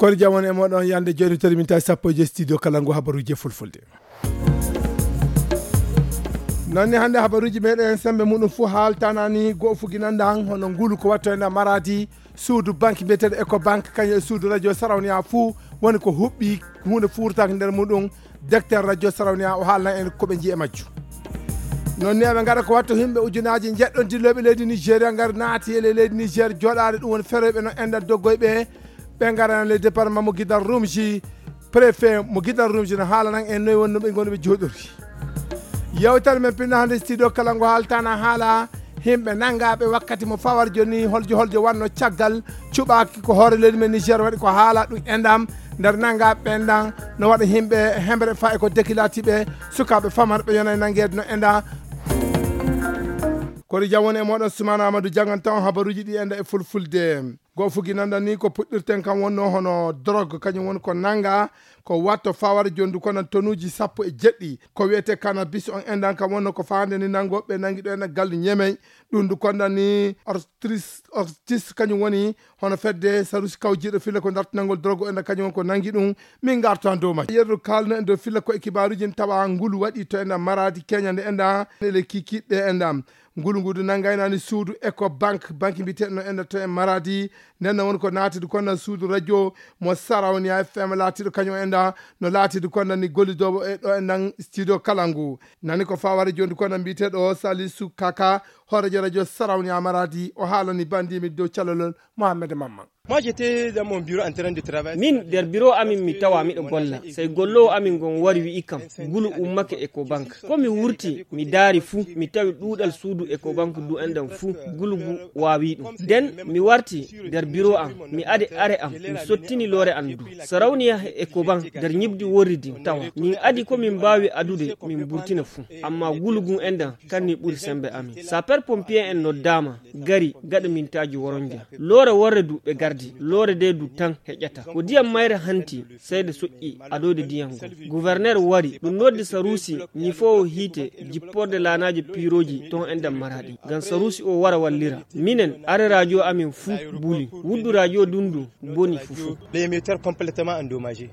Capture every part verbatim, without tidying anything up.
Kono jam woni e moɗon yande joni tari min tawi sappo e joyi studio kala ngu habaruji e fulfulde. Noon ni hannde habaruji meɗen sembe muɗum fuu haaltanani go fuginandan hono ngulu ko watto ena maradi suudu banque mbiyeteeɗo Ecobank kañum e suudu radio Sarauniya fuu woni ko huɓɓi huunde fuurtaaki nder muɗum. Directeur radio Sarauniya o haalna en ko ɓe njiye majju. Noon ni eɓe ngara ko watto himɓe ujunaaji njeɗɗon dillooɓe leydi Nigeria ngar naati e leydi Niger jooɗaade ɗum woni feroyɓe no enɗan doggoyɓe ɓe ngarana le département mo gidal rumji. Préfet mo gidal rumji no haalanan en noy wonno ɓe ngoni ɓe jooɗori. Yewtere men pinno hannde studio kala ngo haaltana haala himɓe nanngaɓe wakkati mo fawar joni holjo holjo wanno caggal cuɓaki ko hoore leydi men Niger waɗi ko haala ɗum enɗam nder nanngaɓe ɓen ɗan no waɗa himɓe hemre fa e ko dekilatiɓe sukaɓe famarɓe yona e nanngeede no enɗa. Kori jam woni e moɗon Sumana Amadou janngan tawon habaruji ɗi enɗa e fulfulde. Go fugi nanda ni ko puɗɗirten kam wonno hono drogue kañum woni ko nanga ko watto fawar jondu kono tonuji sappo e jeɗɗi ko wiyete cannabis on endan kam wonno ko fande ni nango ɓe nangi ɗo en gallu ñemey. Ɗum du kondan ni ortis ortis kañum woni hono fedde sarusi kawjiɗo filla ko dartinangol drogue en kañum woni ko nangi ɗum. Min garto han dow majji yerru kalno en dow filla ko e kibaruji en tawa ngulu waɗi to en maradi keñande endan ele kikiɗɗe endan. Ngulu ngudu nanngaynani suudu Ecobank, banque mbiyeteeɗo no enɗa to e Maradi. Nden no woni ko naatidi konnan suudu radio mo Sarauniya F M laatiiɗo kañum enɗa no laatidi konnan ni gollidoowo e ɗo enɗan studio kala ngu. Nani ko faware jondi konnan mbiyeteeɗo Salisu Kaka, hoorejo radio Sarauniya Maradi, o haalani bandimi dow calalol Mohammed Mamman. Moi, j'étais dans mon bureau en train de travailler. Min, nder biro amin mi tawa miɗo golla. Sey gollowo amin ngon wari wi'i kam, ngulu ummake Ecobank. Ko mi wurti, mi daari fuu, mi tawi ɗuuɗal suudu Ecobank du enɗan fuu, ngulu ngu waawi ɗum. Nden mi warti nder biro am, mi adi are am, mi sottini loore am du. Sarauniya e Ecobank nder ñibdi worridi tawa. Min adi ko min mbaawi adude, min mburtina fuu. Amma ngulu ngun enɗan kanni ɓuri sembe amin. Sapeur pompier en noddaama, gari gaɗa mintaaji woronja. Loore worre du ɓe gardi, loore de du tan heƴata. Ko diyam mayre hanti, seyde soƴƴi adoyde diyam ngol. Gouverneur wari, ɗum noddi Sarusi, ñifoowo hiite, jipporde laanaaji piirooji ton enɗan Maradi. Ngam Sarusi o wara wallira. Minen, are radio amin fuu buli. Wuddu radio dundu boni fufuu. L'émetteur complètement endommagé.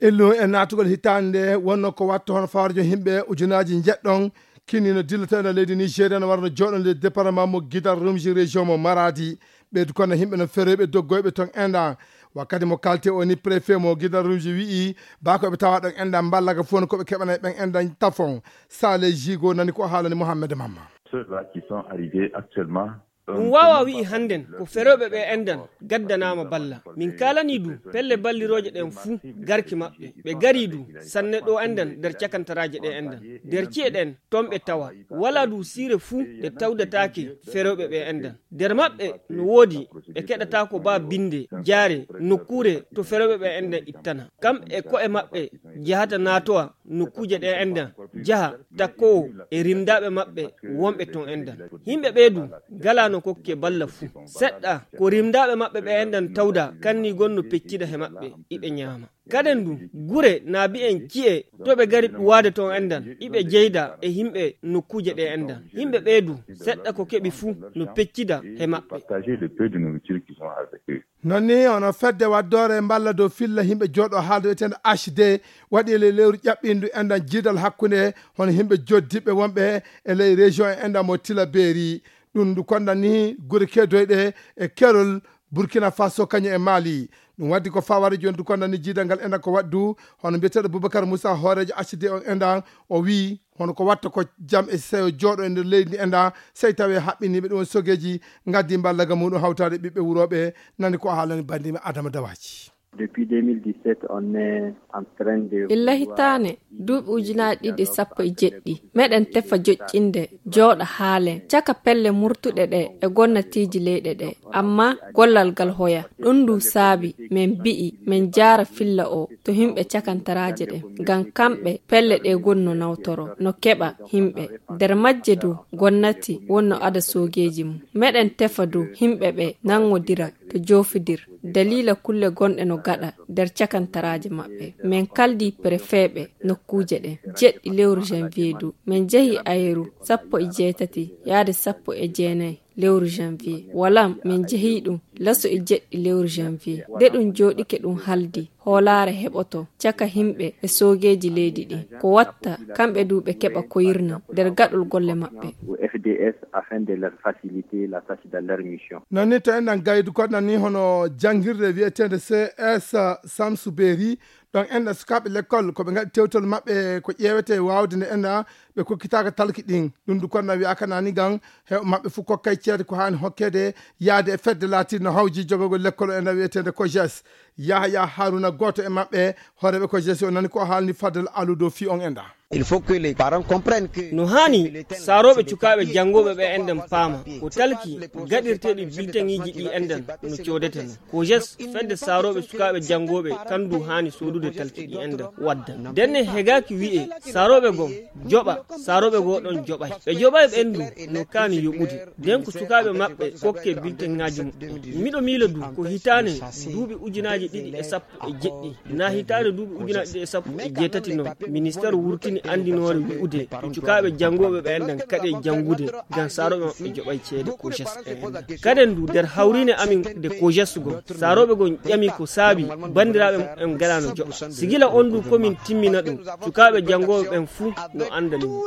Illu e naatugol hitaande nde wonno ko watto hono fawarjo himɓe ujunaaji njeɗɗon kinni no dilloto ena leydi Nigeria no warno jooɗonde département mo Gidal Rumji région mo Maradi. Ɓeydu kono himɓe no feroyɓe doggoyɓe ton enɗan. Wakkati mo kalte o ni préfet mo Gidal Rumji wi'i baa ko ɓe tawa ɗon enɗan mballaga fof no ko ɓe keɓanay ɓen enɗan tafon. Sale Jigo nani ko haalani Mohammed Mamma. Ceux-là qui sont arrivés actuellement. Ɗum waawa wi'i hannden ko ferooɓe ɓe enɗan gaddanaama balla. Min kaalanii du pelle ballirooje ɗen fuu garki maɓɓe. Ɓe garii du sanne ɗo enɗan nder cakantaraaje ɗe enɗan. Nder ci'e ɗen ton ɓe tawa. Walaa du siire fuu nde tawdataake ferooɓe ɓe enɗan. Nder maɓɓe no woodi ɓe keɗataako baa binnde jaare nokkuure to ferooɓe ɓe enɗan ittana. Kam e ko'e maɓɓe jahata naatowa nokkuuje ɗe enɗan jaha takkoowo e rimdaaɓe maɓɓe wonɓe ton enɗan. Yimɓe ɓee du ngalaano kokke balla fuu. Seɗɗa ko rimdaaɓe maɓɓe ɓe enɗan tawda kanni gon no peccida he maɓɓe iɓe ñaama. Kaden du gure na bi'en ci'e to ɓe gari ɗuwaade ton enɗan iɓe jeyda e yimɓe nokkuuje ɗe enɗan. Yimɓe ɓee du seɗɗa ko keɓi fuu no peccida he maɓɓe. Partager le peu de nourriture qu'ils ont avec eux. Noon ni hono fedde waddoore mballa dow filla yimɓe jooɗo haalde wiyeteende H D waɗi e ley lewru ƴaɓɓindu enɗan jiidal hakkunde hono yimɓe joddiɓe wonɓe e ley région e enɗan mo Tillabéri. Ɗum ndu konɗan ni gure keedoyɗe e kerol Burkina Faso kañum e Mali. Ɗum waddi ko faware joni ndu konɗan ni jiidal ngal enɗan ko waɗdu hono mbiyeteeɗo Boubacar Moussa hooreejo H D o enɗan o wii hono ko watta ko jam e seyo jooɗo e nder leydi ndi enɗan sey tawi haɓɓiniiɓe ɗum woni sogeeji ngaddi mballaga muɗum hawtaade ɓiɓɓe wurooɓe. Nani ko haalani bandiiɓe Adama Dawaji. Depuis deux mille dix-sept, on est en train de illa hitaane duuɓi ujunaaji ɗiɗi e sappo e jeɗɗi meɗen tefa joƴƴinde jooɗa haalen caka pelle murtuɗe ɗe e gonnatiiji leyɗe ɗe. Amma gollal ngal hoya ɗum ndu saabi men mbi'i men jaara filla o to himɓe cakantaraaje ɗen ngam kamɓe pelle ɗe gonno nawtoro no keɓa himɓe. Nder majje du gonnati wonno ada soogeeji mum meɗen tefa du himɓe ɓe nangodira to joofidir daliila kulle gonɗe no gaɗa nder cakantaraaje maɓɓe. Men kaldi prefeeɓe nokkuuje ɗen jeɗɗi lewru janvier du men jehi ayeru sappo e jeetati yaade sappo e jeenayi. Lewru janvier. Walam, min jehi ɗum laso e jeɗɗi lewru janvier. Nde ɗum jooɗike ɗum haldi, hoolaare heɓoto caka himɓe e soogeeji leydi ɗi. Ko watta, kamɓe du ɓe keɓa koyirna nder gaɗol golle maɓɓe. Au F D S afin de leur faciliter la tâche de leur mission. Non ni to enɗan gaydu koɗɗan ni hono janngirde wiyeteende C S Samsu Beeri. Ɗon enɗan sukaaɓe lekkol ko ɓe ngaɗi tewtol maɓɓe ko ƴeewete waawde nde enɗan ɓe kokkitaaka talki ɗin. Ɗum du koɗɗan wiyaaka nani gan heɓa maɓɓe fof kokkay ceede ko haani hokkeede yaade e fedde laatirno hawji jogagol lekkol enɗan wiyeteende ko jes. Yahaya Haruna gooto e maɓɓe hooreeɓe ko jes o nani ko haalni Fadel Alu dow fii on enɗan. Il faut que les parents comprennent que no haani saarooɓe cukaaɓe janngooɓe ɓe enɗan paama ko talki gaɗirteeɗi bilteŋiiji ɗi enɗan no coodeteno. Ko jes fedde saarooɓe sukaaɓe janngooɓe kandu haani soodude talki ɗi enɗan wadda. Ndenne hegaaki wi'e saarooɓe gom joɓa, saarooɓe goo ɗon joɓay. Ɓe joɓay ɓen du no kaani yoɓude. Nden ko sukaaɓe maɓɓe kokke bilteŋaaji muɓɓen. Miɗo miila du ko hitaane duuɓi ujunaaji ɗiɗi e sappo e jeɗɗi. Na hitaande duuɓi ujunaaji ɗiɗi e sappo e jeetati non, ministeer wurtini anndinoore wi'ude sukaaɓe janngooɓe ɓe enɗan kaɗe janngude ngam saarooɓe maɓɓe joɓay ceede ko jes en. Kaden du nder hawriine amin nde ko jes gon, saarooɓe gon ƴami ko saabi banndiraaɓe muɓɓen galaano joɓa. Sigila on du komin timmina ɗum, sukaaɓe janngooɓe ɓen fuu no anndani mo.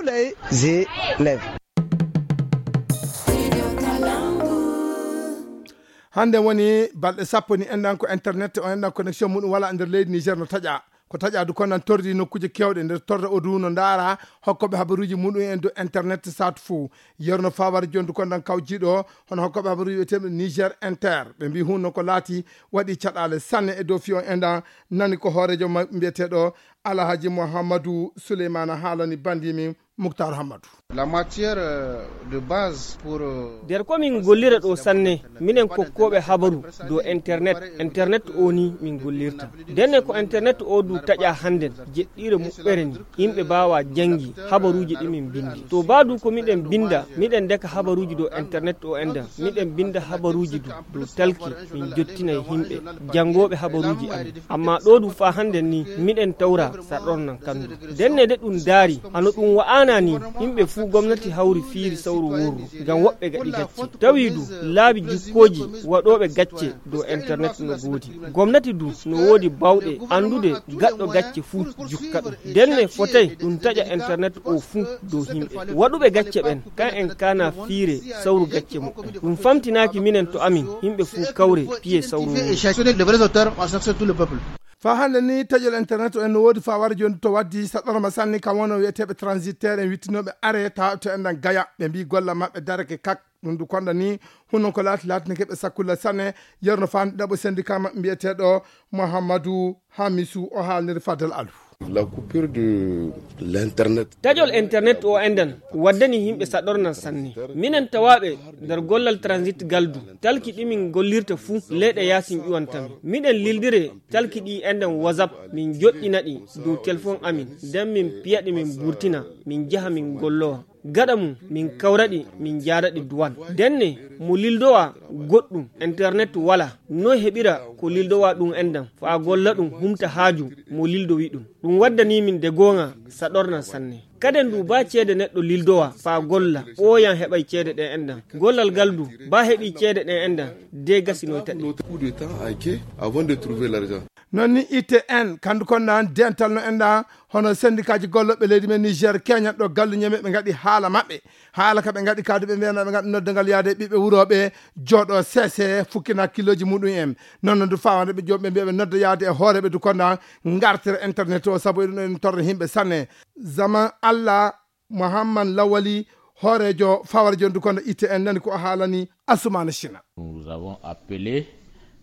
Hannde woni balɗe sappo ni enɗan ko internet o enɗan connexion muɗum wala nder leydi Niger no taƴa. Ko taƴa du kono nan torri nokkuuje kewɗe nder torra o du no ndaara hokkooɓe habaruuji muɗum en dow internet saatu fof. Yerno Fawar Jondu kono nan kawjiiɗo hono hokkooɓe habaruuji wiyeteeɓe Niger Inter. Ɓe mbii hunno ko laati waɗi caɗaale sanne e dow fii on enɗan nani ko hooreejo ma-, mbiyeteeɗo Alhaji Mouhamadou Souleymane haalani bandi min Muktar Hammadou. La matière, euh, de base pour, euh, nder ko min gollira ɗo sanne, minen kokkooɓe habaru dow internet, internet o ni min gollirta. Ndenne ko internet o du taƴa hannden, jeɗɗiire muɓɓere ni, yimɓe mbaawa janngi habaruuji ɗi min mbinndi. To baa du ko miɗen mbinnda, miɗen ndeka habaruuji dow internet o enɗan, miɗen mbinnda habaruuji du dow talki, min jottina e yimɓe janngooɓe habaruuji amin. Amma ɗo du faa hannden ni, miɗen tawra sarɗornan kandu. Ndenne de ɗum daari, hano ɗum wa'ana ni, yimɓe fuu gomnati hawri fiiri sawru worru, ngam woɓɓe gaɗi gacce. Tawi du, laabi jukkooji waɗooɓe gacce dow internet no goodi. Gomnati du no woodi bawɗe anndude gaɗɗo gacce fuu jukka ɗum. Ndenne fotay ɗum taƴa internet o fuu dow yimɓe. Waɗuɓe gacce ɓen, kan en kaana fiire sawru gacce muɓɓen. Ɗum famtinaaki minen to amin, yimɓe fuu kawre piye sawru worru. Faa hannde ni taƴol internet o en no woodi faa wara jooni to waddi saɗɗorma sanne kam wonoo wiyeteeɓe transitaire en wittinooɓe are tawa to enɗan gaya. Ɓe mbii golla maɓɓe darake kak. Ɗum du konɗa ni hunon ko laati laatinike ɓe sakkulla sanne. Yerno faa ɗaɓo syndicat maɓɓe mbiyeteeɗo Mouhamadou Hamisu o haalniri Fadel Alu. La coupure de l'internet. Taƴol internet o enɗan waddani yimɓe saɗɗornan sanne. Minen tawaaɓe nder gollal transit galdu, talki ɗi min gollirta fuu leyɗe yaasin ƴuwantamin. Miɗen lildire talki ɗi enɗan WhatsApp, min joɗɗina ɗi dow telefon amin, nden min piya ɗi min burtina, min jaha min gollowa. Gaɗa mum, min kawra ɗi, min jaada ɗi duwan. Ndenne, mo lildowa goɗɗum, internet wala, noy heɓira ko lildowa ɗum enɗan, faa golla ɗum humta haaju mo lildowi ɗum. Ɗum waddani min de goonga saɗornan sanne. Kaden du baa ceede neɗɗo lildowa faa golla, ɓooyan heɓay ceede ɗen enɗan. Gollal ngal du, baa heɓii ceede ɗen enɗan, de gasinoyta ɗe. Coup de temps à quai avant de trouver l'argent. Non ni I T N, kandu kon nan dental no enɗan, hono sendikaaji gollooɓe leydi men Niger, keñat ɗo gallu ñeme ɓe ngaɗi haala maɓɓe. Haala ka ɓe ngaɗi ka du ɓe mbiyana ɓe ngaɗi noddangal yaade ɓiɓɓe wurooɓe jooɗo sese fukkina kilooji muɗum en. Non non du fawande ɓe jooɓe mbiya ɓe nodda yaade e hooreɓe du konda ngartira internet o sabu eɗum eɗum torra himɓe sanne. Zaman Allah Muhammad Lawali hoorejo fawara jondu konda I T N nani ko o haalani Asumana Shina. Nous avons appelé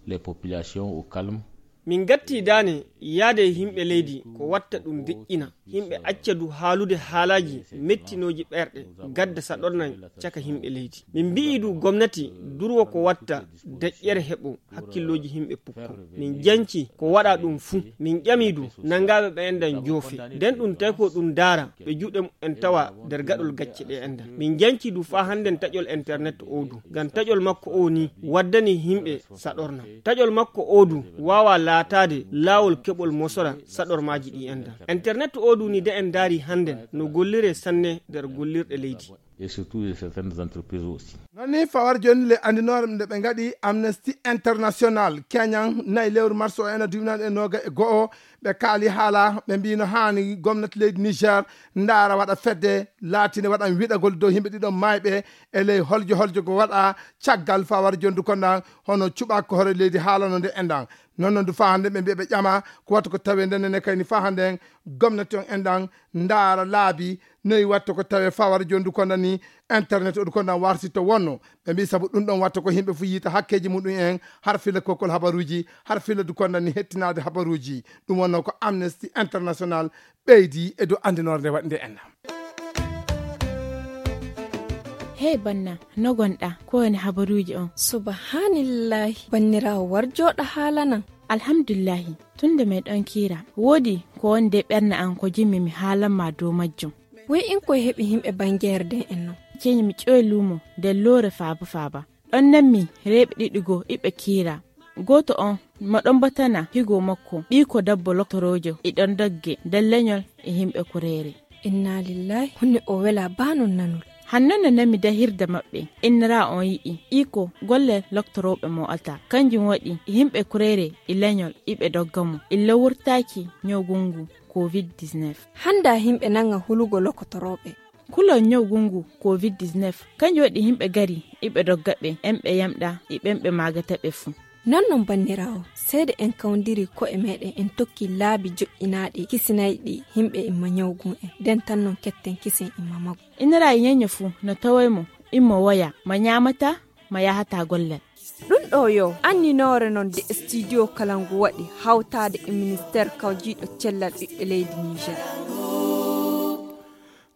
les populations au calme. Min gatti daane yaade e himɓe leydi ko watta ɗum deƴƴina. Yimɓe acca du haalude haalaaji mettinooji ɓerɗe, gadda saɗornan caka yimɓe leydi. Min mbi'i du gomnati durwo ko watta deƴƴere heɓo hakkillooji yimɓe pukko. Min janci ko waɗa ɗum fuu. Min ƴami du nangaaɓe ɓe enɗan joofe. Nden ɗum tawi ko ɗum daara ɓe juuɗe muɓɓen tawa nder gaɗol gacce ɗe enɗan. Min janci du faa hannden taƴol internet o du. Ngam taƴol makko o ni waddani yimɓe saɗornan. Taƴol makko o du waawa laataade laawol keɓol mosora saɗormaaji ɗi enɗan. Internet o du ni de en ndaari hannden no gollire sanne nder gollirɗe leydi. Et surtout de certaines entreprises aussi. Noon ni fawar jooni le anndinoore nde ɓe ngaɗi Amnesty International keñan nayi lewru mars o ena duwinani e nooga e go'o. Ɓe kaali haala, ɓe mbiino haani gomnati leydi Niger ndaara waɗa fedde laatinde waɗan wiɗagol dow yimɓe ɗiɗon maayɓe e ley holjo holjo ko waɗa caggal fawar jondu kondan hono cuɓaako hoore leydi haalano nde enɗan. Noon noon du faa hannde ɓe mbiya ɓe ƴama ko watta ko tawe nden nene kayni faa hannde en gomnati on enɗan ndaara laabi noyi watta ko tawe fawar jondu kondan ni internet o du kondan warsi to wonno. Ɓe mbi sabu ɗum ɗon watta ko yimɓe fof yiita hakkeeji muɗum en har filla kokkol habaruuji har filla du kondan ni hettinaade habaruuji. Ɗum wonno ko Amnesty International ɓeydi e dow anndinoore nde waɗi nde enna. Hey banna, no gonɗa? Ko woni habaruuji on? Subhanillahi, banniraawo, war jooɗa haalanan. Alhamdulillahi, tun nde meɗon kiira, woodi ko woni de ɓernde an ko jimmi mi haalan ma dow majjum. Wey in koye heɓi yimɓe bangeere den en non? Ceñi mi ƴoy luumo nder loore faaba faaba. Ɗon nanmi reeɓe ɗiɗi goo iɓe kiira. Gooto on mo ɗon batana higo makko ɓiiko dabbo loktoroojo iɗon dogge nder leñol e yimɓe kureere. Inna lillahi, honne o wela baa non nanol. Hanno no nami dahirde maɓɓe, innira on yi'i iko golle loktorooɓe mo alta. Kanjum waɗi yimɓe kureere e leñol iɓe dogga mo illa wurtaaki ñawgungu covid dix-neuf. Hannda yimɓe nanga hulugo lokotorooɓe. Kulol ñawgungu covid dix-neuf kanjum waɗi yimɓe gari iɓe dogga ɓe en ɓe yamɗa e ɓen ɓe maagata ɓe fuu. Non non banniraawo, seede en kawndiri ko'e meɗen en tokki laabi joƴƴinaaɗi kisinayɗi yimɓe imma ñawgun en, nden tan non ketten kisen imma magu. Inira e ñeño fuu no taway mo immo woya ma ñaamata ma yahata gollal. Ɗum ɗo yo anninoore non de studio kalangu waɗi hawtaade e ministeer kawjiiɗo cellal ɓiɓɓe leydi Niger.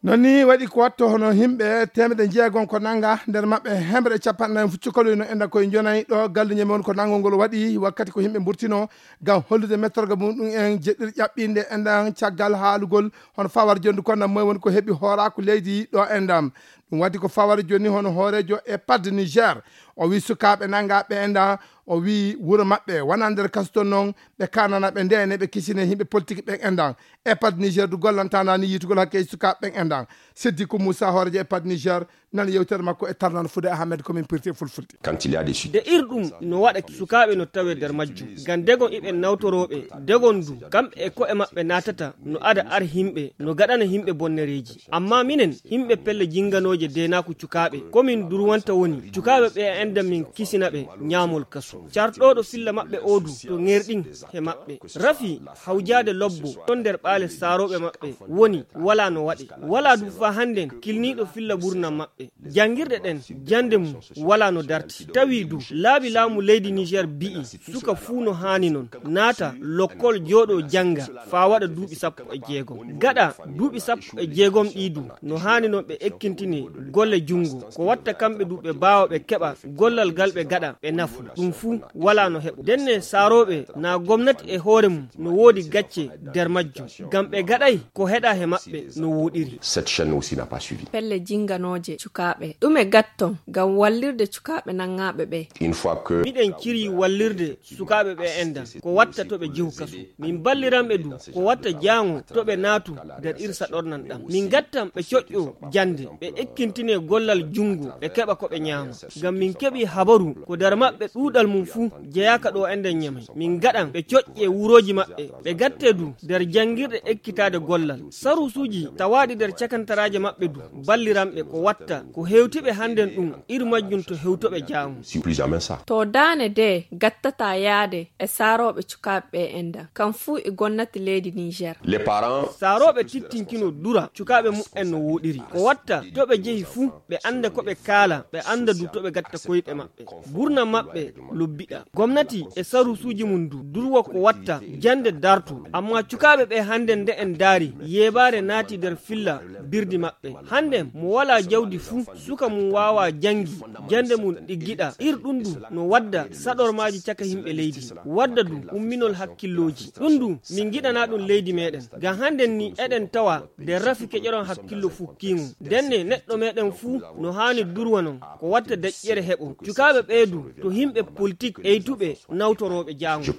Noon ni waɗi ko watto hono yimɓe teemedde jeegom ko nannga nder maɓɓe hemre e capanɗe nayi fuccukaloy no enda koye njonay ɗo galluñe mon ko nanngol ngol waɗi wakkati ko yimɓe mburtino ngam hollude mettorga mum ɗum en jeɗɗir ƴaɓɓinde enɗan caggal haalugol hono fawar jondu konda moy woni ko heɓi hooraaku leydi ɗo enɗan. Ɗum waɗi ko fawar jonni hono hooreejo e padde Niger o wi sukaaɓe nannga ɓe enɗan o wi wuro maɓɓe wona nder kasu ton noon ɓe kanana ɓe ndene ɓe kisine yimɓe politique ɓen enɗan. Epad Niger du gollantana ni yitugol hakke sukaaɓe ɓen enɗan. Siddiku Moussa hooreejo Epad Niger nan yewtere makko e tarnan fude Ahmed komin pirti e fulfulde. Quand il y a des sujets de ir ɗum no waɗa sukaaɓe no tawe nder majjum ngam degon iɓe nawtorooɓe degon du kamɓe e ko'e maɓɓe naatata no ada ar yimɓe no gaɗana yimɓe bonnereeji. Amma minen yimɓe pelle jinganooje deenaaku cukaaɓe komin durwanta woni cukaaɓe ɓe enɗan min kisina ɓe ñaamol kasu carɗooɗo filla maɓɓe oo du to ŋerɗin he maɓɓe rafi hawjaade lobbo ɗon nder ɓaale saarooɓe maɓɓe woni walaa no waɗe. Walaa du faa hannden kilniiɗo filla ɓurna maɓɓe. Janngirɗe ɗen jannde mum walaa no darti. Tawi du laabi laamu leydi Niger bi'i suka fuu no haani non naata lokkol jooɗoo jannga faa waɗa duuɓi sappo e jeegom. Gaɗa duuɓi sappo e jeegom ɗii du no haani non ɓe ekkintine golle junngo ko watta kamɓe du ɓe baawa ɓe keɓa gollal gal ɓe gaɗa ɓe nafu. Ɗum fuu walaa no heɓo. Ndenne saarooɓe naa gomnati e hoore mum no woodi gacce nder majjum ngam ɓe gaɗay ko heɗa he maɓɓe no wooɗiri. Cette chaîne aussi n'a pas suivi. Pelle jinganooje cukaaɓe ɗume gatton ngam wallirde cukaaɓe nanngaaɓe ɓe? Une fois que miɗen ciri wallirde sukaaɓe ɓe enɗan ko watta to ɓe jehu kasu. Min balliranɓe du ko watta jaango to ɓe naatu nder irsa ɗornan ɗam min gattan ɓe coƴƴo jannde ɓe ekkintine gollal junngo ɓe keɓa ko ɓe ñaama. Ngam min keɓi habaru ko nder maɓɓe ɗuuɗal mum fuu jeyaaka ɗo enɗan ñamay min gaɗan ɓe coƴƴe wurooji maɓɓe ɓe gatte du nder janngirɗe ekkitaade gollal sarusuuji tawaaɗi nder cakantaraaje maɓɓe du balliranɓe ko watta ko hewtiɓe hannden ɗum ir majjum to hewtoɓe jaamu. Si plus jamais ça. To daane de gattata yaade e saarooɓe cukaaɓe ɓe enɗan kam fuu e gonnati leydi Niger. Les parents saarooɓe tittinkino dura cukaaɓe muɓɓen no wooɗiri ko watta to ɓe jehi fuu ɓe annda ko ɓe kaala ɓe annda du to ɓe gatta koyɗe maɓɓe. Burna maɓɓe lobbiɗa gomnati e sarusuuji mum du durwa ko watta jannde dartu. Amma cukaaɓe ɓe hannden nde en ndaari yeebaare naati nder filla birdi maɓɓe. Hannden mo walaa jawdi fuu suka mum waawaa janngi jannde mum ɗiggiɗa ir ɗum du no wadda saɗormaaji caka yimɓe leydi wadda du umminol hakkillooji. Ɗum du min ngiɗanaa ɗum leydi meɗen ngam hannden ni eɗen tawa nder rafi keƴoron hakkillo fukkiimo. Ndenne neɗɗo meɗen fuu no haani durwanon ko watta deƴƴere heɓo cukaaɓe ɓee du to yimɓe politik eytuɓe nawtorooɓe jaango.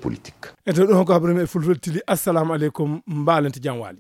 E to ɗum ko habaru men e fulfulde tili assalamu aleykum mbaalante jam waali.